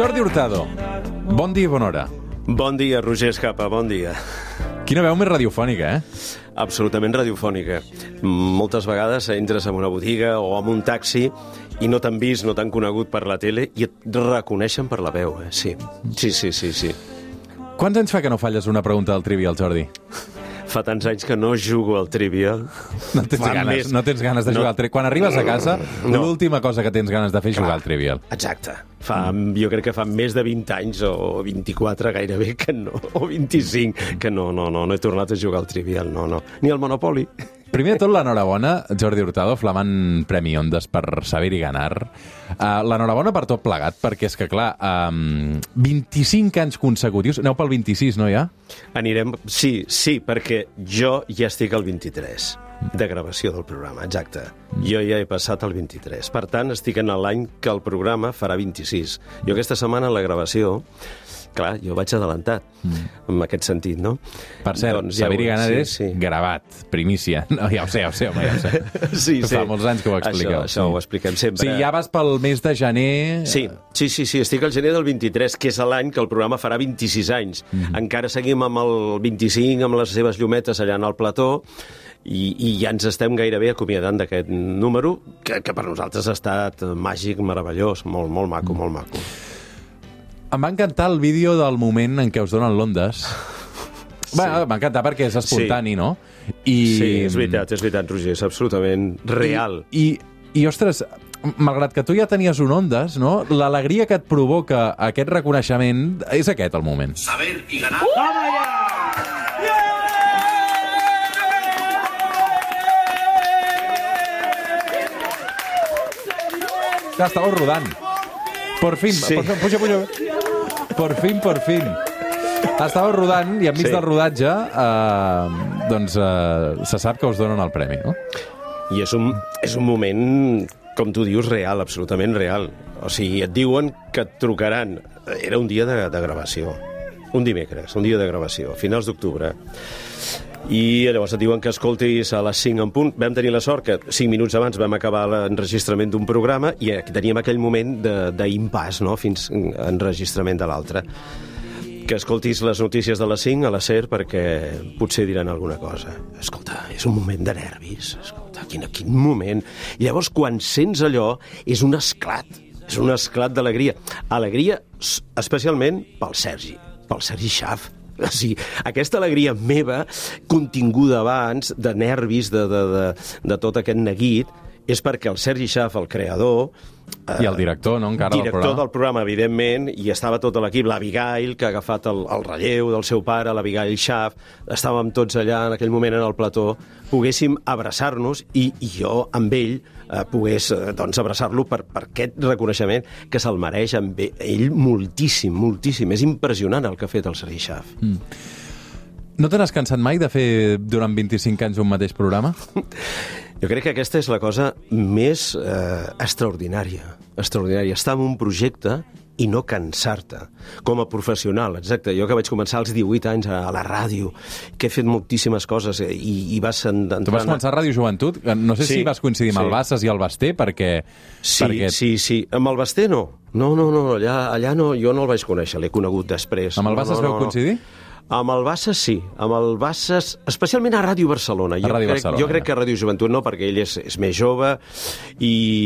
Jordi Hurtado, bon dia i bona hora. Bon dia, Roger Escapa, bon dia. Quina veu més radiofònica, Absolutament radiofònica. Moltes vegades entres en una botiga o en un taxi i no t'han vist, no t'han conegut per la tele i et reconeixen per la veu, Sí. Quants anys fa que no falles una pregunta del Trivial, Jordi? Fa tants anys que no jugo al Trivial. No tens ganes de jugar al Trivial. Quan arribes a casa, l'última cosa que tens ganes de fer és jugar al Trivial. Exacte. Jo crec que fa més de 20 anys, o 24 gairebé, que no, o 25, que no he tornat a jugar al Trivial, no. Ni al Monopoly. Primer de tot, l'enhorabona, Jordi Hurtado, flamant Premi Ondas per Saber i Ganar. L'enhorabona per tot plegat, perquè és que, clar, 25 anys consecutius... Aneu pel 26, no, ja? Anirem... Sí, perquè jo ja estic al 23 de gravació del programa, exacte. Jo ja he passat al 23. Per tant, estic en l'any que el programa farà 26. Jo aquesta setmana, la gravació... Clar, jo vaig adelantat, en aquest sentit, no? Per cert, doncs, Saber i Ganar és gravat, primícia. No, ja ho sé, home, ja ho sé. Sí. Fa molts anys que ho expliqueu. Això ho expliquem sempre. Sí, ja vas pel mes de gener... Sí, estic al gener del 23, que és l'any que el programa farà 26 anys. Encara seguim amb el 25, amb les seves llumetes allà en el plató, i ja ens estem gairebé acomiadant d'aquest número, que per nosaltres ha estat màgic, meravellós, molt maco, molt maco. Em va encantar el vídeo del moment en què us donen l'Ondes. M'ha encantat perquè és espontani, no? Sí, és veritat, Roger, és absolutament real. I ostres, malgrat que tu ja tenies un Ondes, no? L'alegria que et provoca aquest reconeixement és aquest el moment. Saber i Ganar. Toma ja! Estàveu rodant. Por fin. Puja. Por fin. Estàveu rodant i enmig del rodatge se sap que us donen el premi, no? I és un moment, com tu dius, real, absolutament real. O sigui, et diuen que et trucaran. Era un dia de gravació. Un dimecres, un dia de gravació, a finals d'octubre. I llavors et diuen que escoltis a les 5 en punt. Vam tenir la sort que 5 minuts abans vam acabar l'enregistrament d'un programa i teníem aquell moment d'impàs, no?, fins a enregistrament de l'altre. Que escoltis les notícies de les 5 a la SER perquè potser diran alguna cosa. Escolta, és un moment de nervis. Escolta, quin moment. I llavors, quan sents allò, és un esclat. És un esclat d'alegria. Alegria especialment pel Sergi Schaaf. O sigui, aquesta alegria meva, continguda abans, de nervis, de tot aquest neguit, és perquè el Sergi Schaaf, el creador... I el director, no?, encara del programa. Director del programa, evidentment, i estava tot l'equip, l'Abigail, que ha agafat el relleu del seu pare, l'Abigail Schaaf, estàvem tots allà en aquell moment en el plató, poguéssim abraçar-nos i jo, amb ell, pogués abraçar-lo per aquest reconeixement que se'l mereix amb ell moltíssim. És impressionant el que ha fet el Sergi Schaaf. No te n'has cansat mai de fer durant 25 anys un mateix programa? Jo crec que aquesta és la cosa més extraordinària. Estar en un projecte i no cansar-te. Com a professional, exacte. Jo que vaig començar als 18 anys a la ràdio, que he fet moltíssimes coses i vas entrar... Tu vas començar a Ràdio Joventut? No sé si vas coincidir amb el Bassas i el Basté, perquè... Sí. Amb el Basté no. No, allà no, jo no el vaig conèixer, l'he conegut després. Amb el Bassas vau coincidir? Amb el Bassas sí, amb el Bassas, especialment a Ràdio Barcelona. Jo crec que a Ràdio Joventut no, perquè ell és més jove,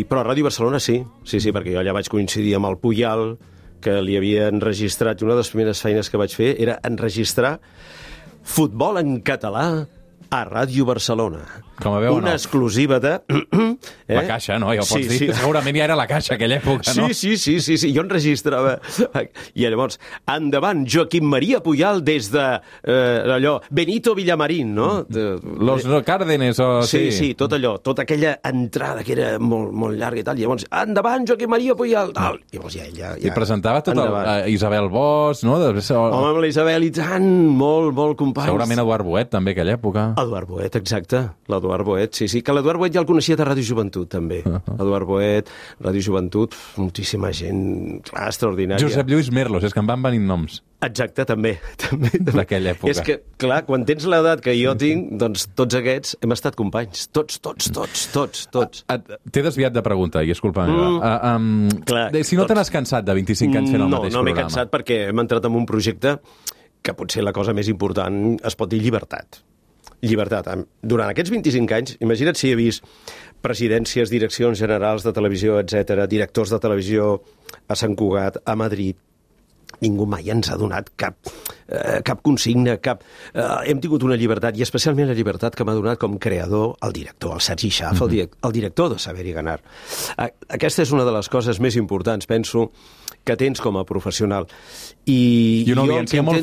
però a Ràdio Barcelona sí, perquè jo allà vaig coincidir amb el Puyal, que li havia enregistrat, i una de les primeres feines que vaig fer era enregistrar futbol en català a Ràdio Barcelona. Com a veu, una exclusiva de... La Caixa, no? Ja ho pots dir. Sí. Segurament ja era la Caixa, aquella època, no? Sí. Jo enregistrava. I llavors, endavant, Joaquim Maria Puyal des de allò, Benito Villamarín, no? Los Cárdenes, o... Sí, tot allò, tota aquella entrada que era molt llarga i tal. I llavors, endavant, Joaquim Maria Puyal, tal. I llavors ja... I presentava tot Isabel Bosch, no? Home, amb la Isabel i tant, molt companys. Segurament Eduard Boet, també, aquella època. Eduard Boet, exacte. L'Eduard Boet, sí. Que l'Eduard Boet ja el coneixia de Ràdio Joventut, també. Eduard Boet, Ràdio Joventut, moltíssima gent, clar, extraordinària. Josep Lluís Merlos, és que em van venint noms. Exacte, també. D'aquella època. És que, clar, quan tens l'edat que jo tinc, doncs tots aquests hem estat companys. Tots. T'he desviat de pregunta, i és culpa meva. Clar, si no te n'has cansat de 25 anys fent el mateix programa? No m'he cansat perquè hem entrat en un projecte que potser la cosa més important es pot dir llibertat. Llibertat. Durant aquests 25 anys, imagina't si he vist presidències, direccions generals de televisió, etc, directors de televisió a Sant Cugat, a Madrid. Ningú mai ens ha donat cap consigna, hem tingut una llibertat, i especialment la llibertat que m'ha donat com creador el director, el Sergi Schaaf, el director de Saber i Ganar. Aquesta és una de les coses més importants, penso, que tens com a professional. I una audiència molt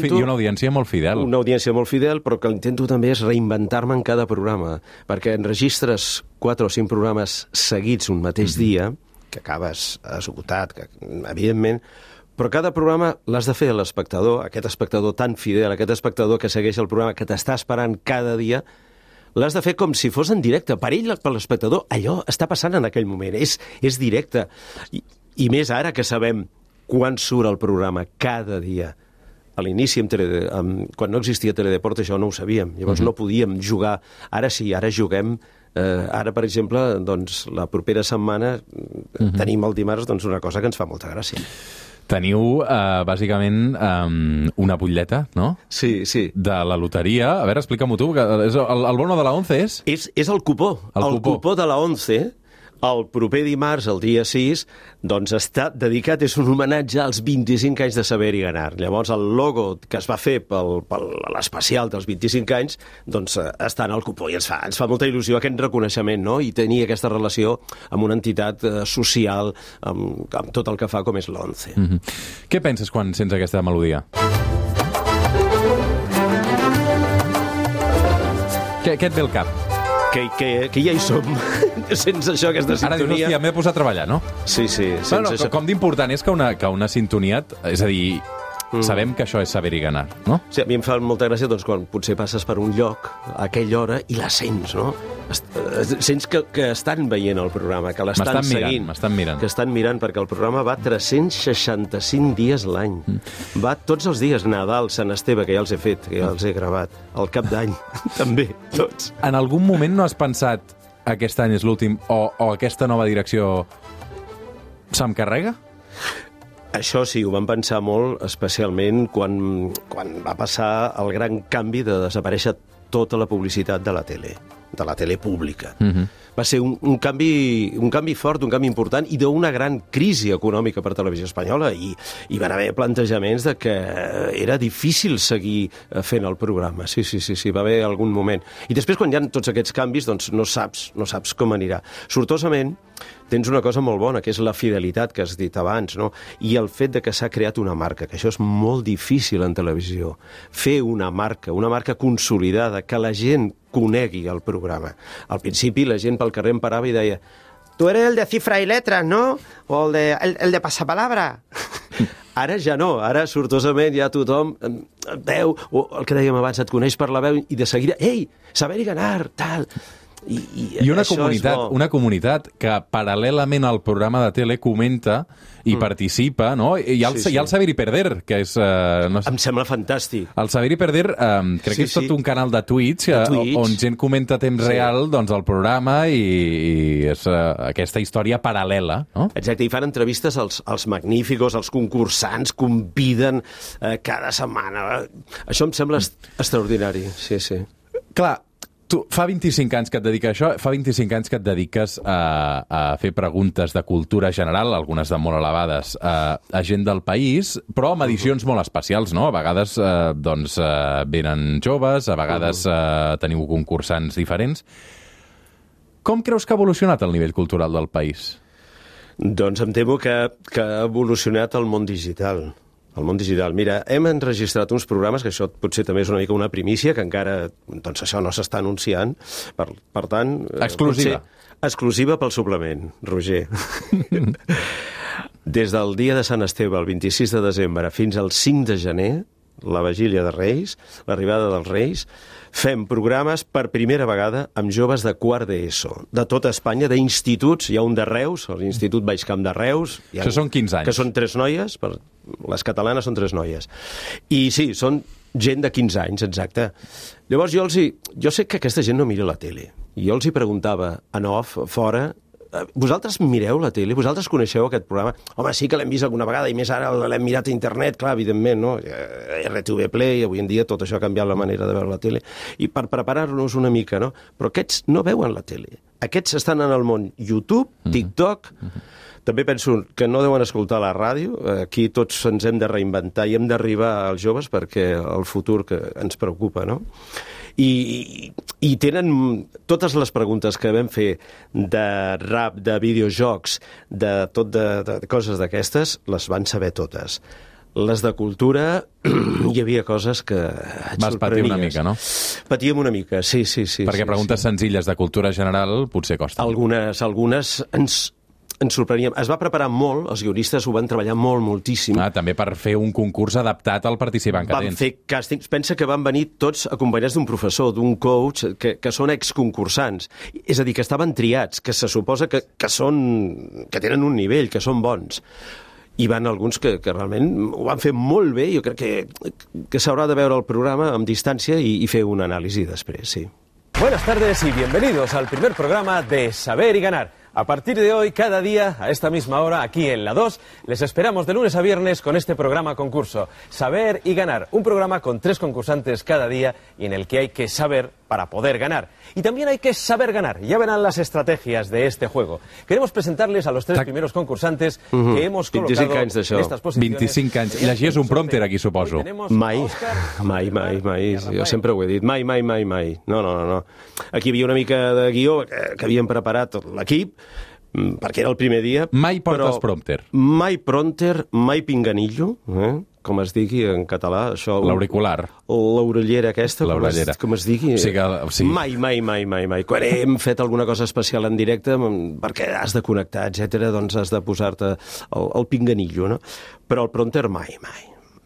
fidel. Una audiència molt fidel, però que intento també és reinventar-me en cada programa, perquè enregistres 4 o 5 programes seguits un mateix dia, que acabes esgotat, que, evidentment, però cada programa l'has de fer a l'espectador, aquest espectador tan fidel, aquest espectador que segueix el programa, que t'està esperant cada dia, l'has de fer com si fos en directe. Per ell, per l'espectador, allò està passant en aquell moment, és directe. I més ara que sabem quan surt el programa cada dia. A l'inici, quan no existia Teledeport, això no ho sabíem. Llavors no podíem jugar. Ara sí, ara juguem. Ara, per exemple, doncs, la propera setmana tenim el dimarts una cosa que ens fa molta gràcia. Teniu, bàsicament, una butlleta, no? Sí. De la loteria. A veure, explica-m'ho tu. El bono de la 11 és? És el cupó. El cupó de la 11, el proper dimarts, el dia 6, doncs està dedicat, és un homenatge als 25 anys de Saber i Ganar. Llavors, el logo que es va fer per l'especial dels 25 anys, doncs està en el cupó i ens fa molta il·lusió aquest reconeixement, no? I tenir aquesta relació amb una entitat social, amb tot el que fa com és l'11. Què penses quan sents aquesta melodia? Què et ve al cap? Que ja hi som. Sense això, aquesta sintonia... Ara dius, hòstia, m'he posat a treballar, no? Sí. Això. Com d'important és que una sintonia... És a dir, sabem que això és Saber i Ganar, no? Sí, a mi em fa molta gràcia quan potser passes per un lloc a aquella hora i la sents, no? Sents que estan veient el programa, que l'estan seguint. M'estan mirant. Que estan mirant, perquè el programa va 365 dies l'any. Va tots els dies, Nadal, Sant Esteve, que ja els he fet, que ja els he gravat, el Cap d'Any, també, tots. En algun moment no has pensat aquest any és l'últim o aquesta nova direcció se'm carrega? Això sí, ho vam pensar molt, especialment quan va passar el gran canvi de desaparèixer tota la publicitat de la tele pública. Va ser un canvi fort, un canvi important i d'una gran crisi econòmica per Televisió Espanyola i van haver plantejaments de que era difícil seguir fent el programa. Sí, va haver algun moment. I després, quan hi ha tots aquests canvis, doncs no saps com anirà. Sortosament, tens una cosa molt bona, que és la fidelitat que has dit abans, no? I el fet de que s'ha creat una marca, que això és molt difícil en televisió. Fer una marca consolidada, que la gent conegui el programa. Al principi la gent pel carrer em parava i deia «Tu eres el de cifra i letras, no? O el de passapalabra?» Ara ja no, ara sortosament ja tothom veu, o el que dèiem abans, et coneix per la veu i de seguida «Ei, Saber i Ganar, tal...» I una comunitat que paral·lelament al programa de tele comenta i participa, no? I hi ha el Saber i Perder, que és... Em sembla fantàstic. El Saber i Perder crec que és tot un canal de Twitch on gent comenta a temps real el programa i és aquesta història paral·lela, no? Exacte, i fan entrevistes als magníficos, als concursants, conviden cada setmana. Això em sembla extraordinari, sí. Clar, tu, fa 25 anys que et dediques a això, fa 25 anys que et dediques a fer preguntes de cultura general, algunes de molt elevades, a gent del país, però amb edicions molt especials, no? A vegades venen joves, a vegades teniu concursants diferents. Com creus que ha evolucionat el nivell cultural del país? Doncs em temo que ha evolucionat el món digital. El món digital. Mira, hem enregistrat uns programes, que això potser també és una mica una primícia, que encara, doncs això no s'està anunciant. Per tant... Exclusiva. Exclusiva pel suplement, Roger. Des del dia de Sant Esteve, el 26 de desembre, fins al 5 de gener, la vigília de Reis, l'arribada dels Reis, fem programes per primera vegada amb joves de quart d'ESO, de tota Espanya, d'instituts. Hi ha un de Reus, l'Institut Baixcamp de Reus. Això són 15 anys. Que són 3 noies, les catalanes són 3 noies. I sí, són gent de 15 anys, exacte. Llavors jo sé que aquesta gent no mira la tele. I jo els hi preguntava en off, fora, vosaltres mireu la tele? Vosaltres coneixeu aquest programa? Home, sí que l'hem vist alguna vegada, i més ara l'hem mirat a internet, clar, evidentment, no? RTV Play, avui en dia tot això ha canviat la manera de veure la tele. I per preparar-nos una mica, no? Però aquests no veuen la tele. Aquests estan en el món YouTube, TikTok... També penso que no deuen escoltar la ràdio. Aquí tots ens hem de reinventar i hem d'arribar als joves perquè el futur que ens preocupa, no? I tenen totes les preguntes que vam fer de rap, de videojocs, de coses d'aquestes, les van saber totes. Les de cultura, hi havia coses que et vas patir una mica, no? Patíem una mica, sí. Perquè preguntes senzilles de cultura general potser costen. Algunes ens sorprenien. Es va preparar molt, els guionistes ho van treballar moltíssim. També per fer un concurs adaptat al participant que tens. Van fer càstings. Pensa que van venir tots acompanyats d'un professor, d'un coach, que són exconcursants. És a dir, que estaven triats, que se suposa que tenen un nivell, que són bons. Hi van alguns que realment ho van fer molt bé. Jo crec que s'haurà de veure el programa amb distància i fer una anàlisi després, sí. Buenas tardes y bienvenidos al primer programa de Saber y Ganar. A partir de hoy, cada día, a esta misma hora, aquí en la 2, les esperamos de lunes a viernes con este programa concurso, Saber y Ganar, un programa con 3 concursantes cada día y en el que hay que saber para poder ganar. Y también hay que saber ganar. Ya verán las estrategias de este juego. Queremos presentarles a los 3 primeros concursantes que hemos colocado en estas posiciones. 25 anys. I llegies un prompter aquí, suposo. Mai. Jo sempre ho he dit. Mai. No. Aquí hi havia una mica de guió que havien preparat l'equip, perquè era el primer dia. Mai portes prompter. Mai prompter, mai pinganillo, com es digui en català. L'auricular. L'orellera aquesta, com es digui. Sí. Mai. Quan hem fet alguna cosa especial en directe, perquè has de connectar, etc., doncs has de posar-te el pinganillo, no? Però el prompter mai.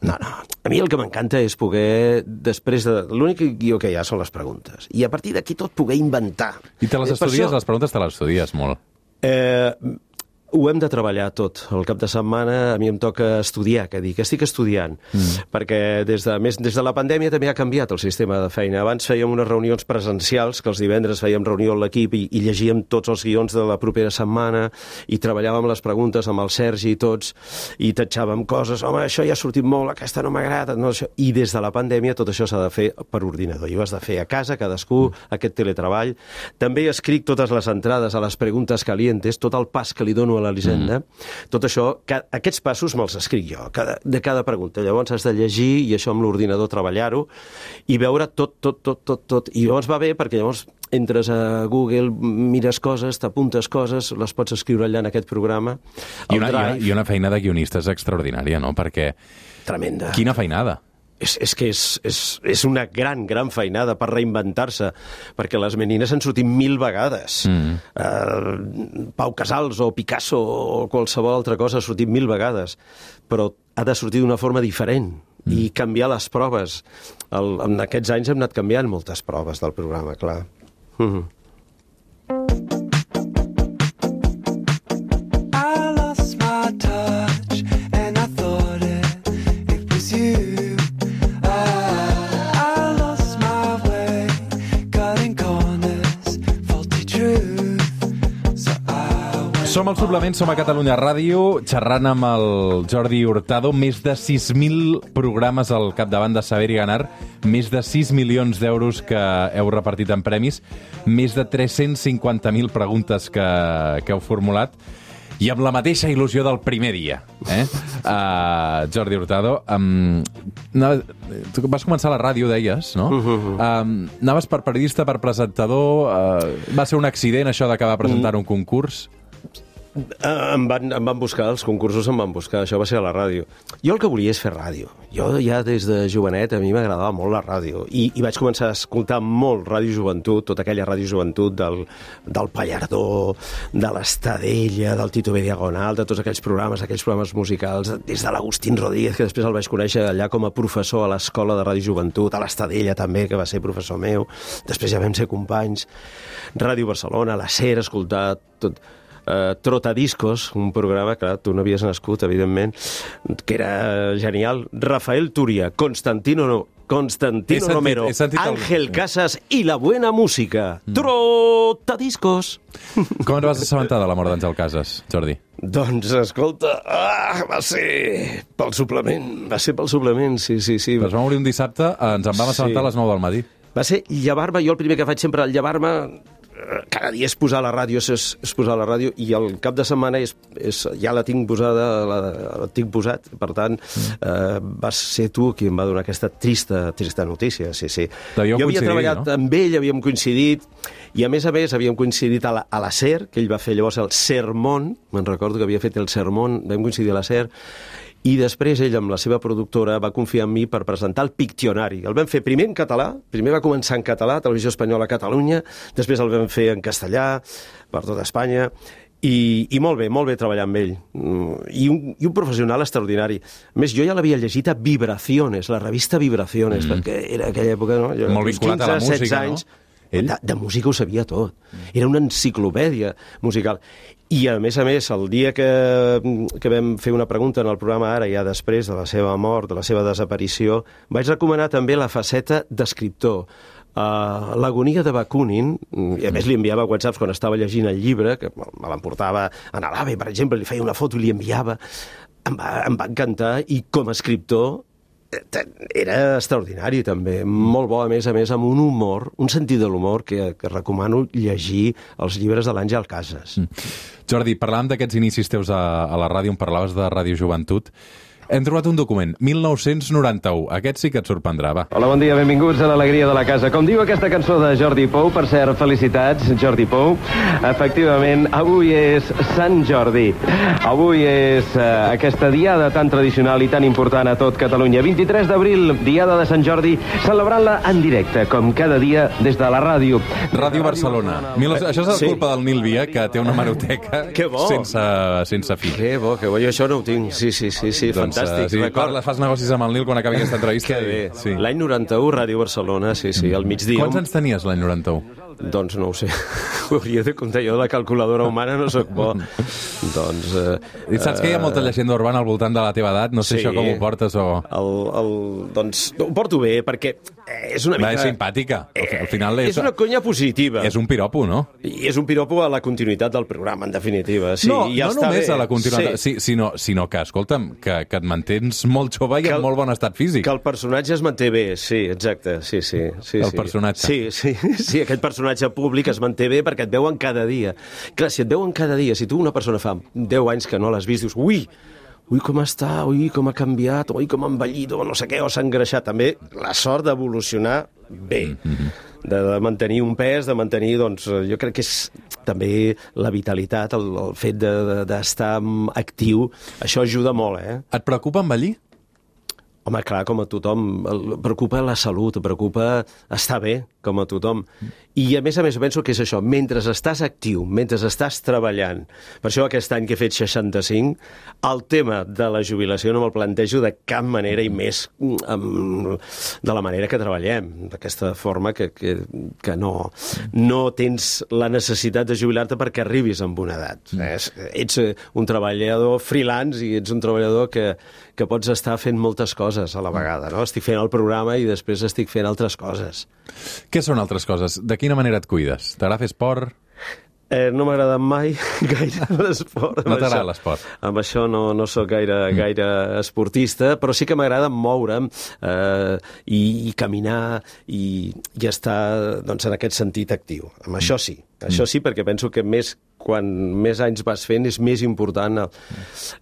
No. A mi el que m'encanta és poder, després de... L'únic guió que hi ha són les preguntes. I a partir d'aquí tot poder inventar. I te les estudies? Les preguntes te les estudies molt. Ho hem de treballar tot. El cap de setmana a mi em toca estudiar, que estic estudiant, perquè des de la pandèmia també ha canviat el sistema de feina. Abans fèiem unes reunions presencials, que els divendres fèiem reunió amb l'equip i llegíem tots els guions de la propera setmana i treballàvem les preguntes amb el Sergi i tots, i tatxàvem coses. Home, això ja ha sortit molt, aquesta no m'agrada. No, això. I des de la pandèmia tot això s'ha de fer per ordinador. I ho has de fer a casa, cadascú, aquest teletreball. També escric totes les entrades a les preguntes calientes, tot el pas que li dono a l'Elisenda. Tot això, aquests passos me'ls escric jo, de cada pregunta. Llavors has de llegir i això amb l'ordinador treballar-ho i veure tot. I llavors va bé perquè llavors entres a Google, mires coses, t'apuntes coses, les pots escriure allà en aquest programa. I una feina de guionistes extraordinària, no? Perquè... Tremenda. Quina feinada. És que és una gran feinada per reinventar-se, perquè les menines han sortit 1000 vegades. Pau Casals o Picasso o qualsevol altra cosa ha sortit 1000 vegades, però ha de sortir d'una forma diferent i canviar les proves. En aquests anys hem anat canviant moltes proves del programa, clar. Som al Suplement, som a Catalunya Ràdio, xerrant amb el Jordi Hurtado. Més de 6.000 programes al capdavant de Saber i Ganar, més de 6 milions d'euros que heu repartit en premis, més de 350.000 preguntes que heu formulat, i amb la mateixa il·lusió del primer dia. Jordi Hurtado, tu vas començar a la ràdio, deies, no? Anaves per periodista, per presentador... Va ser un accident, això d'acabar presentant un concurs? Em van buscar, els concursos em van buscar, això va ser a la ràdio. Jo el que volia és fer ràdio. Jo ja des de jovenet a mi m'agradava molt la ràdio i vaig començar a escoltar molt Ràdio Joventut, tota aquella Ràdio Joventut del Pallardó, de l'Estadella, del Tito B. Diagonal, de tots aquells programes musicals, des de l'Agustín Rodríguez, que després el vaig conèixer allà com a professor a l'Escola de Ràdio Joventut, a l'Estadella també, que va ser professor meu, després ja vam ser companys, Ràdio Barcelona, la SER, escoltar tot... Trotadiscos, un programa, clar, tu no havies nascut, evidentment, que era genial. Rafael Turia, Constantino Romero, Ángel Casas i la buena música. Trotadiscos. Com et vas assabentar de la mort d'Àngel Casas, Jordi? Doncs, escolta, va ser pel suplement, sí. Ens vam obrir un dissabte, ens en vam assabentar a les 9 del matí. Va ser llevar-me, jo el primer que faig sempre al llevar-me, cada dia és posar la ràdio, i el cap de setmana ja la tinc posada, la tinc posat, per tant, vas ser tu qui em va donar aquesta trista notícia, sí. Jo havia treballat amb ell, havíem coincidit, i a més havíem coincidit a la SER, que ell va fer llavors el Sermón, me'n recordo que havia fet el Sermón, vam coincidir a la SER, i després ell, amb la seva productora, va confiar en mi per presentar el Piccionari. El vam fer primer en català, primer va començar en català, Televisió Espanyola a Catalunya, després el vam fer en castellà, per tota Espanya, i molt bé treballar amb ell. I un professional extraordinari. A més, jo ja l'havia llegit a Vibraciones, la revista Vibraciones, perquè era aquella època, no? Molt vinculat a la música, no? De música ho sabia tot. Era una enciclopèdia musical. I, a més, el dia que vam fer una pregunta en el programa Ara, ja després de la seva mort, de la seva desaparició, vaig recomanar també la faceta d'escriptor. L'agonia de Bakunin, i a més li enviava whatsapps quan estava llegint el llibre, que me l'emportava a l'AVE, per exemple, li feia una foto i li enviava. Em va encantar, i com a escriptor era extraordinari també, molt bo, a més amb un humor, un sentit de l'humor que recomano llegir els llibres de l'Àngel Casas. Jordi, parlàvem d'aquests inicis teus a la ràdio, on parlaves de Ràdio Joventut. Hem trobat un document, 1991. Aquest sí que et sorprendrà, va. Hola, bon dia, benvinguts a l'alegria de la casa. Com diu aquesta cançó de Jordi Pou, per cert, felicitats, Jordi Pou. Efectivament, avui és Sant Jordi. Avui és aquesta diada tan tradicional i tan important a tot Catalunya. 23 d'abril, diada de Sant Jordi, celebrant-la en directe, com cada dia, des de la ràdio. Ràdio Barcelona. Això és culpa del Nil Via, que té una hemeroteca sense fi. Que bo, jo això no ho tinc. Sí, fantàstic. Sí, fas negocis amb el Nil quan acabi aquesta entrevista. Que bé. Sí. L'any 91, Ràdio Barcelona, sí, al migdia. Quants anys tenies l'any 91? Doncs no ho sé. Ho hauria de comptar jo, de la calculadora humana no sóc bo. Doncs... I saps que hi ha molta llegenda urbana al voltant de la teva edat? No sé això com ho portes o... Doncs ho porto bé, perquè és una mica... És simpàtica. Al final és una conya positiva. És un piropo, no? I és un piropo a la continuïtat del programa, en definitiva. Sí, no ja només bé. A la continuïtat, sinó que, escolta'm, que et mantens molt jove i en molt bon estat físic. Que el personatge es manté bé, sí, exacte. Sí. El personatge. Sí, aquest personatge públic es manté bé perquè et veuen cada dia. Clar, si et veuen cada dia, si tu una persona fa 10 anys que no l'has vist, dius, ui, com està, ui, com ha canviat, ui, com ha envellit, o no sé què, o s'ha engreixat. També la sort d'evolucionar bé, de mantenir un pes, de mantenir, doncs, jo crec que és també la vitalitat, el fet d'estar actiu, això ajuda molt, Et preocupa envellir? Home, clar, com a tothom, preocupa la salut, preocupa estar bé, com a tothom. I a més penso que és això, mentre estàs actiu, mentre estàs treballant, per això aquest any que he fet 65, el tema de la jubilació no me'l plantejo de cap manera, i més de la manera que treballem, d'aquesta forma que no tens la necessitat de jubilar-te perquè arribis amb una edat. Ets un treballador freelance i ets un treballador que pots estar fent moltes coses a la vegada, no? Estic fent el programa i després estic fent altres coses. Què són altres coses? De quina manera et cuides? T'agrada fer esport? No m'agrada mai gaire l'esport. No t'agrada l'esport? Amb això no sóc gaire esportista, però sí que m'agrada moure'm i caminar i estar, doncs, en aquest sentit actiu. Amb això sí, perquè penso que quan més anys vas fent és més important.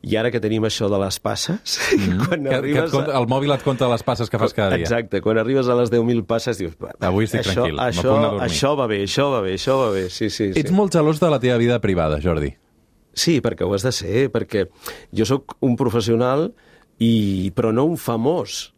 I ara que tenim això de les passes... El mòbil et compta les passes que fas cada dia. Exacte, quan arribes a les 10.000 passes dius... Avui estic tranquil, això va bé, sí. Ets molt gelós de la teva vida privada, Jordi? Sí, perquè ho has de ser, perquè jo sóc un professional, però no un famós.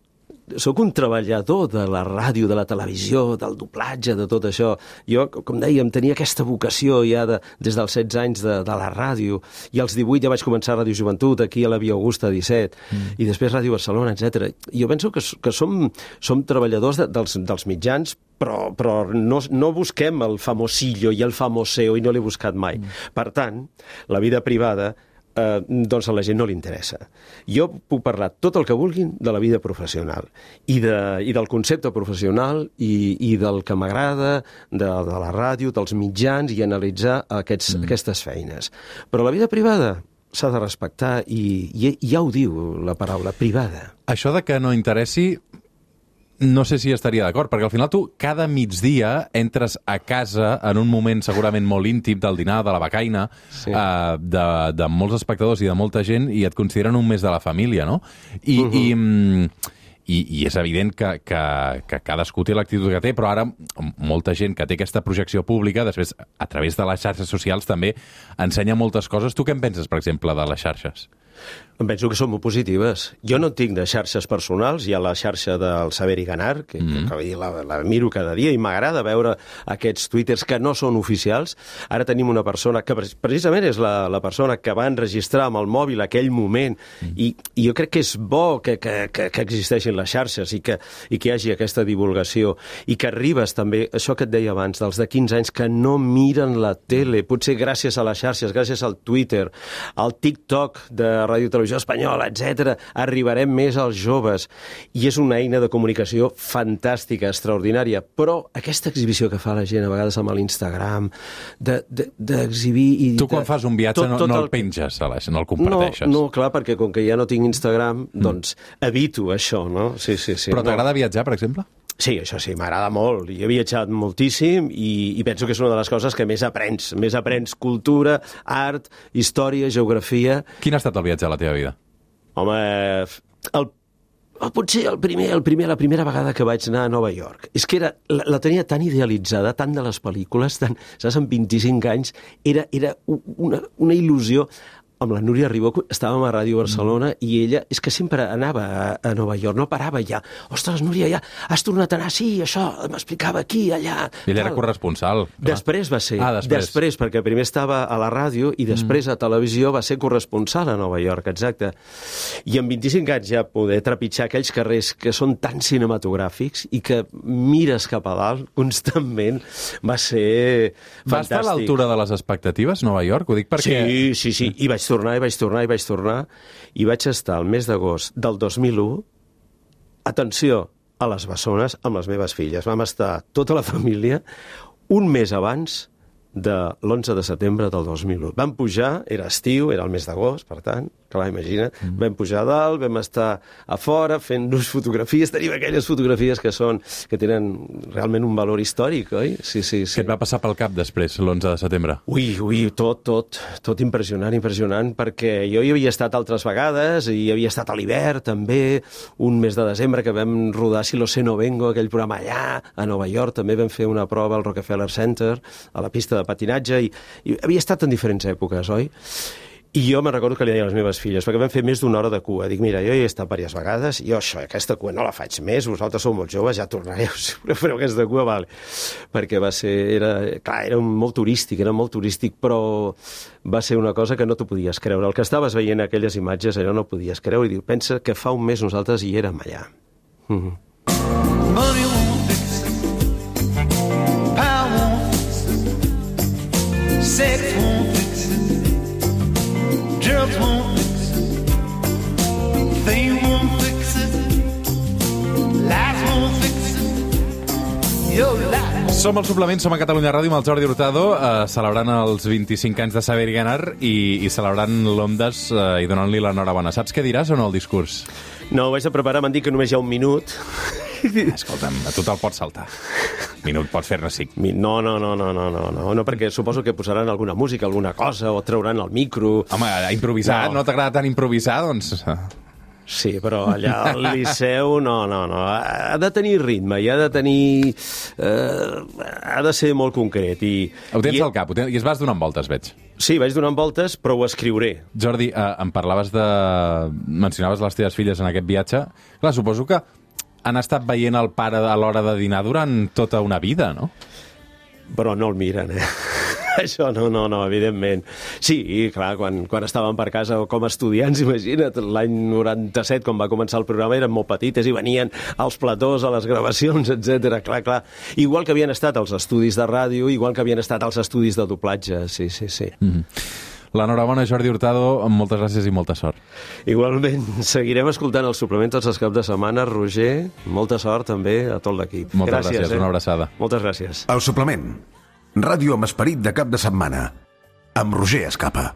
Sóc un treballador de la ràdio, de la televisió, del doblatge, de tot això. Jo, com dèiem, tenia aquesta vocació ja des dels 16 anys de la ràdio, i als 18 ja vaig començar a Ràdio Joventut, aquí a la Via Augusta 17, i després Ràdio Barcelona, etc. Jo penso que som treballadors dels mitjans, però no busquem el famosillo i el famoseo, i no l'he buscat mai. Per tant, la vida privada doncs a la gent no li interessa. Jo puc parlar tot el que vulguin de la vida professional i del concepte professional i del que m'agrada, de la ràdio, dels mitjans, i analitzar aquestes feines. Però la vida privada s'ha de respectar, i ja ho diu la paraula, privada. Això de que no interessi, no sé si estaria d'acord, perquè al final tu cada migdia entres a casa en un moment segurament molt íntim del dinar, de la becaina, sí, de molts espectadors i de molta gent, i et consideren un mes de la família, no? I és evident que cadascú té l'actitud que té, però ara molta gent que té aquesta projecció pública, després, a través de les xarxes socials, també ensenya moltes coses. Tu què en penses, per exemple, de les xarxes? Em penso que són molt positives. Jo no tinc de xarxes personals, hi ha la xarxa del Saber i Ganar, que la miro cada dia, i m'agrada veure aquests twitters que no són oficials. Ara tenim una persona que precisament és la persona que va enregistrar amb el mòbil aquell moment, i jo crec que és bo que existeixin les xarxes i que hi hagi aquesta divulgació, i que arribes també, això que et deia abans, dels de 15 anys que no miren la tele, potser gràcies a les xarxes, gràcies al Twitter, al TikTok de Ràdio Televisió Espanyola, etc., arribarem més als joves, i és una eina de comunicació fantàstica, extraordinària, però aquesta exhibició que fa la gent a vegades amb l'Instagram, d'exhibir... Tu quan fas un viatge no el penges, no el comparteixes. No, clar, perquè com que ja no tinc Instagram, doncs evito això, no? Sí. Però t'agrada viatjar, per exemple? Sí, això sí, m'agrada molt. Jo he viatjat moltíssim i penso que és una de les coses que més aprens. Més aprens cultura, art, història, geografia... Quin ha estat el viatge a la teva vida? Home, potser la primera vegada que vaig anar a Nova York. És que la tenia tan idealitzada, tant de les pel·lícules, saps, amb 25 anys, era una il·lusió. Amb la Núria Ribó estàvem a Ràdio Barcelona, i ella és que sempre anava a Nova York, no parava ja. Ostres, Núria, ja has tornat a anar? Sí, això, m'explicava aquí, allà... I ella era corresponsal. Clar. Després va ser. Després, perquè primer estava a la ràdio i després a televisió va ser corresponsal a Nova York, exacte. I amb 25 anys ja poder trepitjar aquells carrers que són tan cinematogràfics i que mires cap a dalt constantment va ser fantàstic. Va estar a l'altura de les expectatives, Nova York? Ho dic perquè... Sí. I vaig tornar, i vaig estar el mes d'agost del 2001, atenció, a les Bessones amb les meves filles. Vam estar tota la família un mes abans de l'11 de setembre del 2001. Vam pujar, era estiu, era el mes d'agost, per tant, clar, imagina't, vam pujar a dalt, vam estar a fora fent-nos fotografies, tenim aquelles fotografies que tenen realment un valor històric, oi? Sí. Què et va passar pel cap després, l'11 de setembre? Ui, tot impressionant, perquè jo hi havia estat altres vegades, i hi havia estat a l'hivern, també, un mes de desembre que vam rodar Si lo sé no vengo, aquell programa allà, a Nova York, també vam fer una prova al Rockefeller Center, a la pista de patinatge, i havia estat en diferents èpoques, oi? I jo me'n recordo que li deia a les meves filles, perquè vam fer més d'una hora de cua. Dic, mira, jo hi he estat diverses vegades, i aquesta cua no la faig més, vosaltres sou molt joves, ja tornareu, si fareu aquesta cua, vale. Perquè era molt turístic, però va ser una cosa que no t'ho podies creure. El que estaves veient aquelles imatges, allò no ho podies creure, i diu, pensa que fa un mes nosaltres hi érem allà. Money won't fix it, power won't fix it, sex won't fix it, drugs won't fix it, fame won't fix it, lies won't fix it, your life. Som al Suplement, som a Catalunya Ràdio amb el Jordi Hurtado, celebrant els 25 anys de Saber i Ganar, i celebrant l'Ondas i donant-li l'enhorabona. Saps què diràs o no, el discurs? No, ho vaig a preparar, m'han dit que només hi ha un minut. Escolta'm, a tu te'l pots saltar. Minut, pots fer-ne 5. No, perquè suposo que posaran alguna música, alguna cosa, o trauran el micro. Home, improvisar, no t'agrada tant improvisar, doncs... Sí, però allà al Liceu no. Ha de tenir ritme i ha de tenir... ha de ser molt concret. Ho tens al cap, i es vas donant voltes, veig. Sí, vaig donant voltes, però ho escriuré. Jordi, em parlaves mencionaves les teves filles en aquest viatge. Clar, suposo que han estat veient el pare a l'hora de dinar durant tota una vida, no? Però no el miren, Això no, evidentment. Sí, i clar, quan estàvem per casa com a estudiants, imagina't, l'any 97, quan va començar el programa, eren molt petites i venien als platós, a les gravacions, etc. Clar. Igual que havien estat als estudis de ràdio, igual que havien estat als estudis de doblatge, sí. L'enhorabona, Jordi Hurtado, moltes gràcies i molta sort. Igualment, seguirem escoltant el suplement tots els caps de setmana. Roger, molta sort també a tot l'equip. Moltes gràcies, una abraçada. Moltes gràcies. El suplement. Ràdio amb esperit de cap de setmana. Amb Roger Escapa.